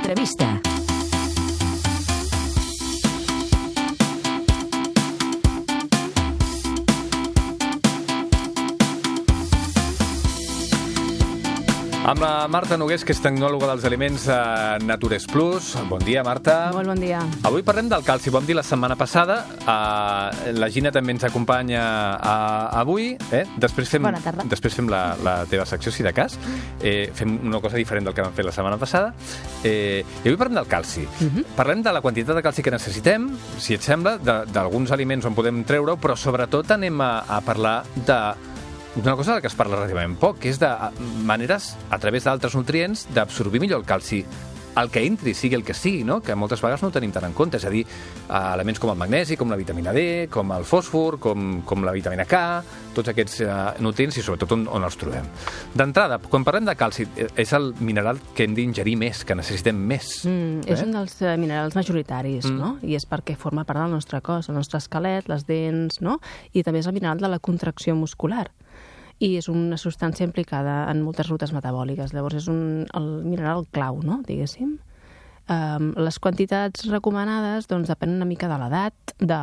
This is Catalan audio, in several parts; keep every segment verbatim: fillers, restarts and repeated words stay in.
L'entrevista. Amb la Marta Nogués, que és tecnòloga dels aliments a Natures Plus. Bon dia, Marta. Molt bon dia. Avui parlem del calci. Vam dir la setmana passada. Uh, la Gina també ens acompanya uh, avui. Eh? Després fem, Bona tarda. Després fem la, la teva secció, si de cas. Eh, fem una cosa diferent del que vam fer la setmana passada. Eh, I avui parlem del calci. Uh -huh. Parlem de la quantitat de calci que necessitem, si et sembla, d'alguns aliments on podem treure-ho, però sobretot anem a, a parlar de una cosa de que es parla relativament poc, que és de maneres, a través d'altres nutrients, d'absorbir millor el calci. El que entri, sigui el que sigui, no? Que moltes vegades no ho tenim tant en compte. És a dir, elements com el magnesi, com la vitamina D, com el fòsfor, com, com la vitamina K, tots aquests uh, nutrients i sobretot on, on els trobem. D'entrada, quan parlem de calci, és el mineral que hem d'ingerir més, que necessitem més. Mm, és eh? un dels uh, minerals majoritaris, mm. no? I és perquè forma part del nostre cos, el nostre esquelet, les dents, no? I també és el mineral de la contracció muscular. I és una substància implicada en moltes rutes metabòliques. Llavors és un, el mineral clau, no?, diguéssim. Um, les quantitats recomanades doncs, depenen una mica de l'edat, de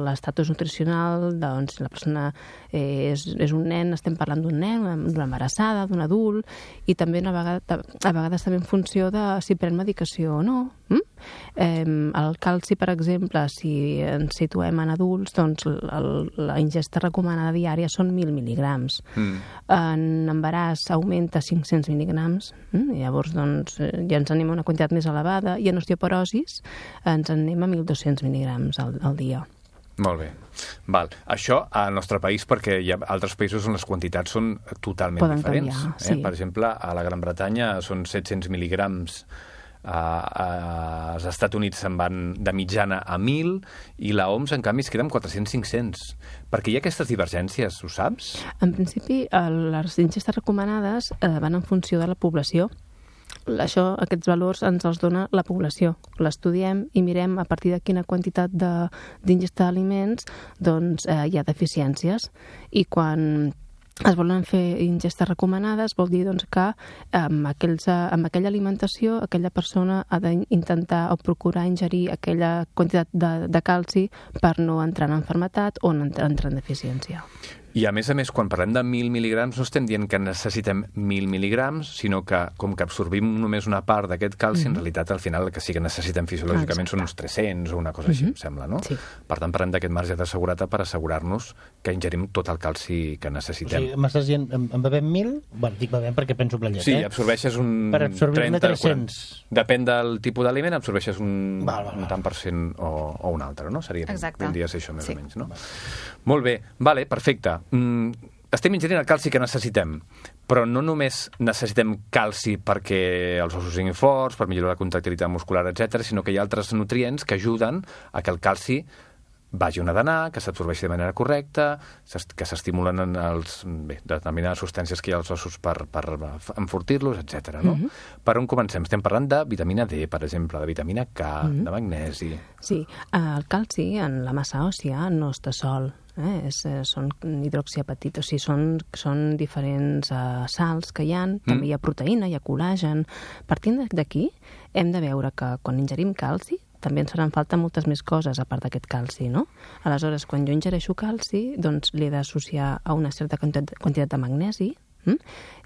l'estatus nutricional, de doncs, si la persona eh, és, és un nen, estem parlant d'un nen, d'una embarassada, d'un adult, i també una vegada, a vegades també en funció de si pren medicació o no. Mm? Eh, el calci, per exemple, si ens situem en adults, doncs el, la ingesta recomanada diària són mil mil·ligrams. Mm. En embaràs augmenta cinc-cents mil·ligrams, mm? I llavors doncs, ja ens anem a una quantitat més elevada, i en osteoporosis ens anem a mil dos-cents mil·ligrams al, al dia. Molt bé. Val. Això al nostre país, perquè hi ha altres països on les quantitats són totalment Poden diferents. Canviar, eh? sí. Per exemple, a la Gran Bretanya són set-cents mil·ligrams. Uh, uh, als Estats Units se'n van de mitjana a mil i la O M S, en canvi, es queda amb quatre-cents-cinc-cents. Perquè hi ha aquestes divergències, ho saps? En principi, les ingestes recomanades eh, van en funció de la població. Això, aquests valors ens els dona la població. L'estudiem i mirem a partir de quina quantitat d'ingesta d'aliments doncs, eh, hi ha deficiències. I quan es volen fer ingestes recomanades vol dir doncs, que amb, aquells, amb aquella alimentació aquella persona ha d'intentar o procurar ingerir aquella quantitat de, de calci per no entrar en malaltia o entrar en deficiència. I a més a més, quan parlem de mil mil·ligrams, no estem dient que necessitem mil mil·ligrams, sinó que com que absorbim només una part d'aquest calci, mm-hmm. en realitat al final el que sí que necessitem fisiològicament Exacte. Són uns tres-cents o una cosa així, mm-hmm. em sembla, no? Sí. Per tant, parlem d'aquest marge de seguretat per assegurar-nos que ingerim tot el calci que necessitem. O sigui, m'estàs dient, en, en bevem mil? Bueno, dic bevem perquè penso en la llet, sí, eh? Sí, absorbeixes un per absorbir-ne tres-cents. quaranta. Depèn del tipus d'aliment, absorbeixes un, val, val, val. un tant per cent o, o un altre, no? Seria, Exacte. Tindria ser això, més sí. o menys, no? Val. Molt bé, vale, perfecte. Mm, estem ingerint el calci que necessitem, però no només necessitem calci perquè els ossos siguin forts, per millorar la contractilitat muscular, etcètera, sinó que hi ha altres nutrients que ajuden a que el calci vagi on ha d'anar, que s'absorbeixi de manera correcta, que s'estimulen en els, bé, determinades substàncies que hi ha als ossos per, per enfortir-los, etcètera. No? Mm-hmm. Per on comencem? Estem parlant de vitamina D, per exemple, de vitamina K, mm-hmm. de magnesi... Sí, el calci en la massa òssia no està sol. Eh? És, són hidroxiapatits, o sigui, són, són diferents uh, sals que hi ha, mm. també hi ha proteïna, hi ha col·lagen. Partint d'aquí, hem de veure que quan ingerim calci també ens faran falta moltes més coses a part d'aquest calci, no? Aleshores, quan jo ingereixo calci, doncs l'he d'associar a una certa quantitat de magnesi, hm?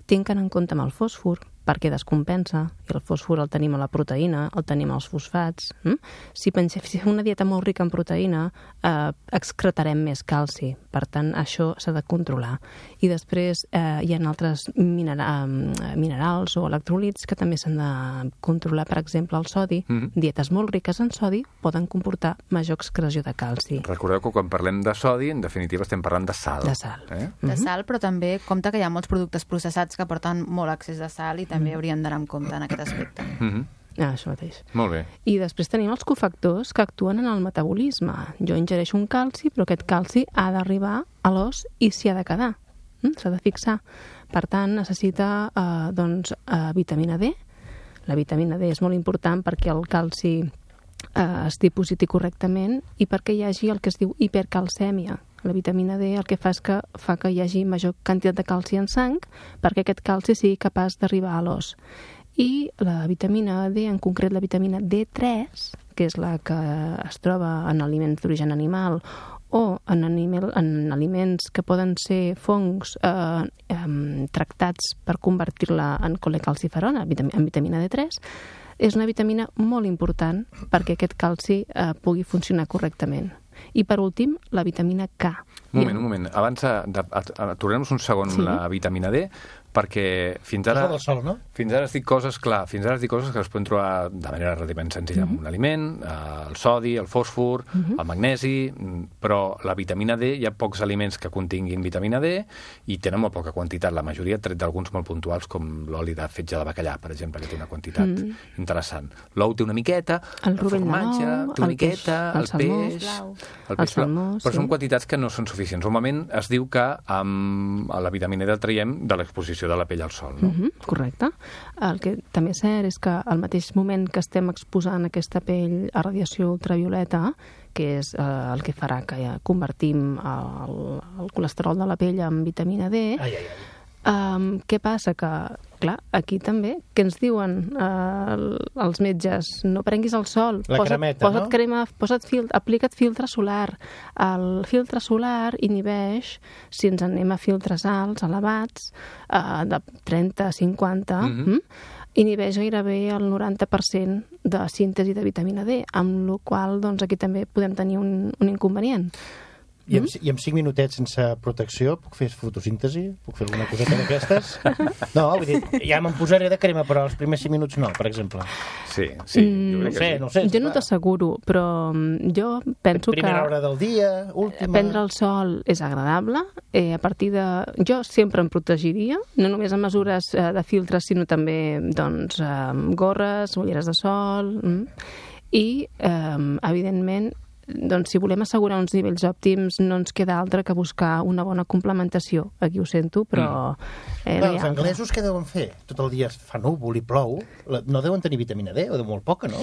Tinc en compte amb el fòsfor, perquè descompensa, i el fòsfor el tenim a la proteïna, el tenim als fosfats. Hm? Si pensem si fem una dieta molt rica en proteïna, eh, excretarem més calci. Per tant, això s'ha de controlar. I després eh, hi ha altres minera minerals o electròlits que també s'han de controlar. Per exemple, el sodi. Mm-hmm. Dietes molt riques en sodi poden comportar major excreció de calci. Recordeu que quan parlem de sodi, en definitiva estem parlant de sal. De sal. Eh? De sal, però també compte que hi ha molts productes processats que porten molt excés de sal i també haurien d'anar en compte en aquest aspecte. Mm-hmm. Ah, això mateix. Molt bé. I després tenim els cofactors que actuen en el metabolisme. Jo ingereixo un calci, però aquest calci ha d'arribar a l'os i s'hi ha de quedar. Mm? S'ha de fixar. Per tant, necessita eh, doncs, eh, vitamina D. La vitamina D és molt important perquè el calci eh, es dipositi correctament i perquè hi hagi el que es diu hipercalcèmia. La vitamina D el que fa és que fa que hi hagi major quantitat de calci en sang perquè aquest calci sigui capaç d'arribar a l'os. I la vitamina D, en concret la vitamina D tres, que és la que es troba en aliments d'origen animal o en, animal, en aliments que poden ser fongs eh, eh, tractats per convertir-la en colecalciferol, en vitamina D tres, és una vitamina molt important perquè aquest calci eh, pugui funcionar correctament. I, per últim, la vitamina K. Un moment, un moment. Abans, aturem-nos un segon Sí. la vitamina D, perquè fins ara... És la del sol, no? Fins ara es dic coses, clar, fins ara es dic coses que es poden trobar de manera relativament senzilla en un aliment, eh, el sodi, el fòsfor, el magnesi, però la vitamina D, hi ha pocs aliments que continguin vitamina D i tenen molt poca quantitat, la majoria tret d'alguns molt puntuals, com l'oli de fetge de bacallà, per exemple, que té una quantitat mm. interessant. L'ou té una miqueta, El el rovell de formatge l'ou, té una el peix, miqueta, el el salmó, peix... blau. El El peix blau, salmó, però sí. són quantitats que no són suficients. Normalment es diu que amb la vitamina D el traiem de l'exposició de la pell al sol, no? Mm -hmm, correcte. El que també és cert és que al mateix moment que estem exposant aquesta pell a radiació ultravioleta, que és eh, el que farà que ja convertim el, el colesterol de la pell en vitamina D, Ai, ai, ai. Um, què passa? Que, clar, aquí també, què ens diuen uh, els metges? No prenguis el sol. La posa't, cremeta, posa't no? crema, posa't fil, aplica't filtre solar. El filtre solar inhibeix, si ens anem a filtres alts, elevats, uh, de trenta a cinquanta, Mhm. mm, inhibeix gairebé el noranta per cent de síntesi de vitamina D, amb la qual doncs, aquí també podem tenir un, un inconvenient. I amb, I amb cinc minutets sense protecció puc fer fotosíntesi? Puc fer alguna coseta d'aquestes? No, vull dir, ja me'n posaré de crema, però els primers cinc minuts no, per exemple. Sí, sí. Mm, jo No crec ho que sé, sí. no ho sé. Jo no t'asseguro, però mm, jo penso que... Primera hora del dia, última... Prendre el sol és agradable. Eh, a partir de... Jo sempre em protegiria, no només en mesures eh, de filtres, sinó també doncs, eh, gorres, ulleres de sol... Mm. I, eh, evidentment, doncs, si volem assegurar uns nivells òptims, no ens queda altre que buscar una bona complementació. Aquí ho sento, però... Eh, Bé, no hi els ha- anglesos què deuen fer? Tot el dia fa núvol i plou. La- No deuen tenir vitamina D, o de molt poca, no?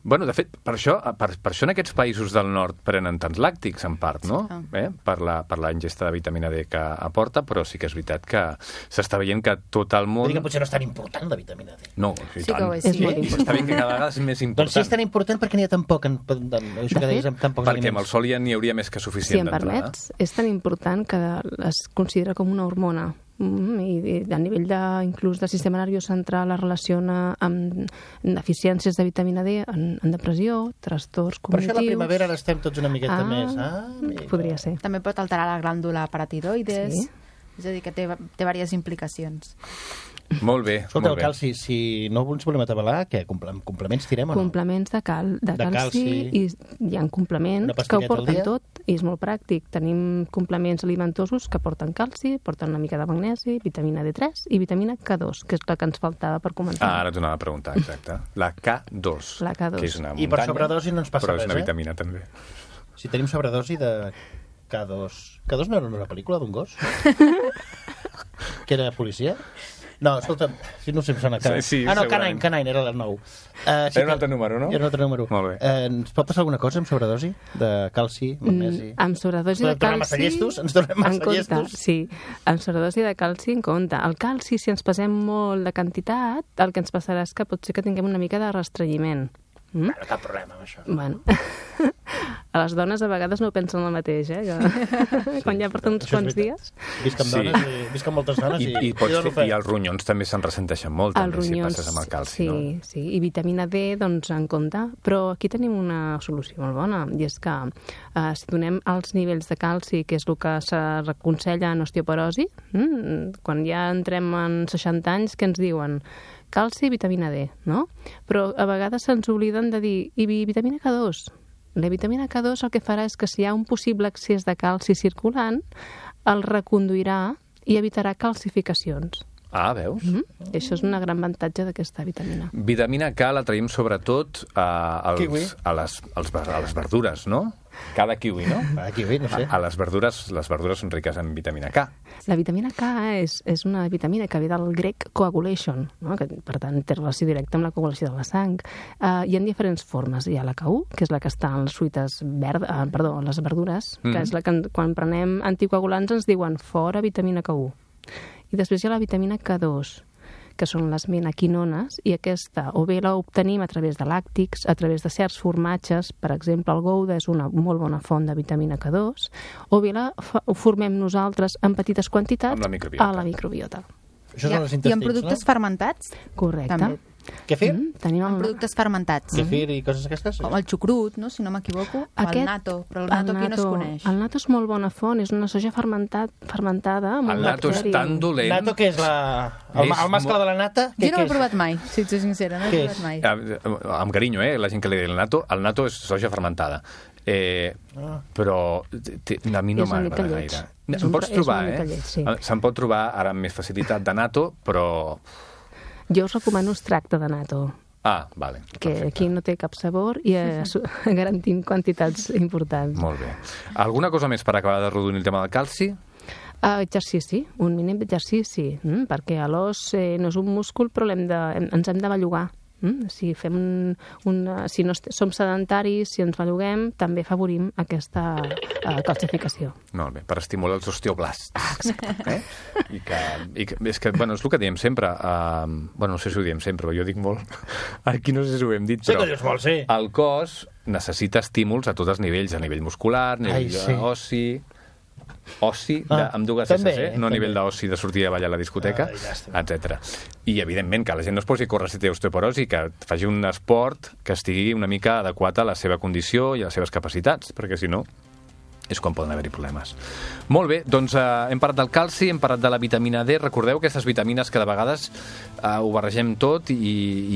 Bueno, de fet, per això, per, per això en aquests països del nord prenen tants làctics, en part, no? Ah. Eh? Per, la, per la ingesta de vitamina D que aporta, però sí que és veritat que s'està veient que tot el món... Vull dir que potser no és tan important, la vitamina D. No, i Sí que tant. ho és, És sí. molt important. Està bé que cada vegada és més important. Doncs si és tan important, perquè n'hi ha tan poc, en, en, en, això De que deies, fet, amb tan pocs Perquè amb el aliments. sol ja n'hi hauria més que Si suficient em d'entrada. permets, és tan important que es considera com una hormona. Mm, i, i a nivell de, inclús del sistema nerviós central es relaciona amb deficiències de vitamina D en, en depressió, trastorns Per això cognitius... a la primavera ara estem tots una miqueta Ah, més. Ah, amiga. podria ser. També pot alterar la glàndula paratiroides. Sí. És a dir, que té, té diverses implicacions. Molt bé, Escolta, molt el bé. calci, si no ens volem atabalar, què? Comple complements tirem o no? Complements de, cal, de, De calci, calci. i hi ha complements Una que ho pastilleta al porten dia? tot i és molt pràctic. Tenim complements alimentosos que porten calci, porten una mica de magnesi, vitamina D tres i vitamina K dos, que és la que ens faltava per començar. Ah, ara t'ho anava a preguntar, exacte. La K dos. La K dos. Que és una I per muntanya, sobredosi no ens passa però res, és una eh? vitamina, també. Si tenim sobredosi de K dos... K dos no era una pel·lícula d'un gos? Que era policia? No, escolta, si no sé, em sona... Sí, sí, ah, no, segurament. K nou, K nou, era el nou. Uh, Era un altre número, no? Era un altre número. Molt bé. Uh, ens pot passar alguna cosa amb sobredosi? De calci, magnesi? Mm, amb sobredosi Ens de tornem massa calci... llestos? Ens tornem massa en compte, llestos? sí. Amb sobredosi de calci en compte. El calci, si ens passem molt de quantitat, el que ens passarà és que pot ser que tinguem una mica de restrenyiment. Mm? Bueno, cap problema amb això. Bueno, a les dones a vegades no pensen el mateix, eh? Que quan ja porten uns Això és quants veritat. dies... Visc amb Sí. dones, i, visc amb moltes dones I, i, i, pots dono fer, fe. I els ronyons també se'n ressenteixen molt, Els també, ronyons, si passes amb el calci, sí, no? sí, i vitamina D, doncs, en compte. Però aquí tenim una solució molt bona, i és que eh, si donem els nivells de calci, que és el que se reconsella en osteoporosi, mm, quan ja entrem en seixanta anys, què ens diuen? Calci i vitamina D, no? Però a vegades se'ns obliden de dir, i vitamina K dos? La vitamina K dos el que farà és que si hi ha un possible excés de calci circulant, el reconduirà i evitarà calcificacions. Ah, veus? Mm -hmm. I això és un gran avantatge d'aquesta vitamina. Vitamina K la traiem sobretot a, als, Kiwi. a, les, als, ver- a les verdures, no? Cada kiwi, no? Ah, kiwi, no sé. A, a les verdures, les verdures són riques en vitamina K. La vitamina K és, és una vitamina que ve del grec coagulation, no? Que, per tant, té relació directa amb la coagulació de la sang. Uh, hi ha diferents formes. Hi ha la K u, que és la que està en les fruites verdes, uh, perdó, en les verdures, mm. que Mhm. és la que en- quan prenem anticoagulants ens diuen fora vitamina K u. I després hi ha la vitamina K dos, que són les menaquinones, i aquesta o bé la obtenim a través de làctics, a través de certs formatges, per exemple, el Gouda és una molt bona font de vitamina K dos, o bé la ho formem nosaltres en petites quantitats Amb la microbiota. a la microbiota. Això I, són els I intestins, en productes no? fermentats? Correcte. També. Kefir? Mm, tenim En el... productes fermentats. Kefir i coses aquestes? Com el xucrut, no? Si no m'equivoco. O el nato. Però el nato aquí no es coneix. El nato és molt bona font, és una soja fermentat, fermentada amb El un nato és bacteri. tan dolent... Nato, què és la... El, És el mascle mo- de la nata? Jo Què, no què l'he és? provat mai, si ets sincera, no l'he Què provat és? mai. Eh, Amb carinyo, eh? La gent que li diu el nato. El nato és soja fermentada. Eh, Ah. però t- a mi no És una mica m'agrada lleig. gaire. És Em un- pots és trobar, una mica eh? lleig, sí. Se'n pot trobar ara amb més facilitat de nato, però... Jo us recomano extracte de nato, Ah, vale. que perfecte. aquí no té cap sabor i eh, su- garantim quantitats importants. Molt bé. Alguna cosa més per acabar de rodonir el tema del calci? Uh, exercici, un mínim exercici, mm? perquè a l'os eh, no és un múscul, però l'hem de, hem, ens hem de bellugar. Mm? Si, fem un, una, si no est- som sedentaris, si ens belluguem, també favorim aquesta uh, calcificació. Molt bé, per estimular els osteoblasts. Ah, exacte. Eh? I que, i que, és que, bueno, és el que diem sempre. Uh, bueno, no sé si ho diem sempre, però jo dic molt. Aquí no sé si ho hem dit, Sí però que dius molt, sí. el cos necessita estímuls a tots els nivells, a nivell muscular, a nivell Ai, sí. ossi... Ossi, de, Ah, amb dues també, S, eh? no a també. nivell d'ossi de sortir a ballar a la discoteca, Ai, llàstima. etcètera. I, evidentment, que la gent no es posi a córrer si té osteoporosi, que faci un esport que estigui una mica adequat a la seva condició i a les seves capacitats, perquè, si no, és quan poden haver-hi problemes. Molt bé, doncs eh, hem parlat del calci, hem parlat de la vitamina D. Recordeu aquestes vitamines que de vegades eh, ho barregem tot i,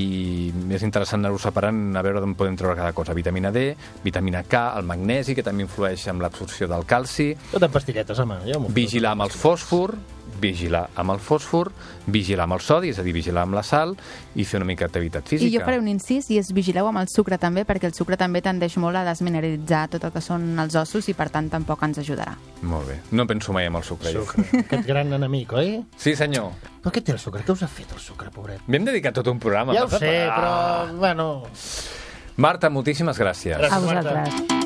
i és interessant anar-ho separant, a veure d'on podem treure cada cosa. Vitamina D, vitamina K, el magnesi, que també influeix en l'absorció del calci, Tot en pastilletes, home. Jo m'ho foto. vigilar amb el fòsfor, vigilar amb el fòsfor, vigilar amb el sodi, és a dir, vigilar amb la sal, i fer una mica d'activitat física. I jo faré un incís, i és vigileu amb el sucre també, perquè el sucre també tendeix molt a desmineralitzar tot el que són els ossos i per tant tampoc ens ajudarà. Molt bé. No penso mai amb el sucre. jo. Sucre. Aquest gran enemic, oi? Sí, senyor. Però què té el sucre? Què us ha fet el sucre, pobret? M'hem dedicat tot un programa. Ja ho Marta, sé, per- però... Ah. Bueno... Marta, moltíssimes gràcies. Gràcies. A vosaltres.